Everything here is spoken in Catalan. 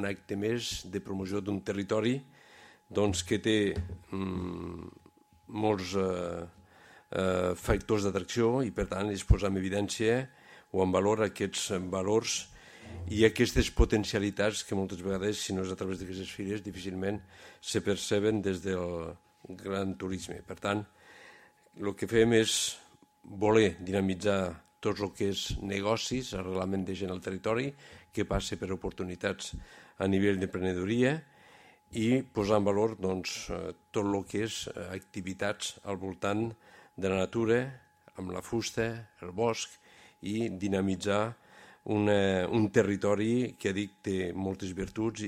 acte més de promoció d'un territori que té molts factors d'atracció i, per tant, es posa en evidència o en valor aquests valors i aquestes potencialitats que moltes vegades, si no és a través d'aquestes fires, difícilment se perceben des del gran turisme. Per tant, el que fem és voler dinamitzar tot el que és negocis, arrelament de gent al territori, que passa per oportunitats a nivell d'emprenedoria i posar en valor tot el que és activitats al voltant de la natura, amb la fusta, el bosc, i dinamitzar un territori que, dic, té moltes virtuts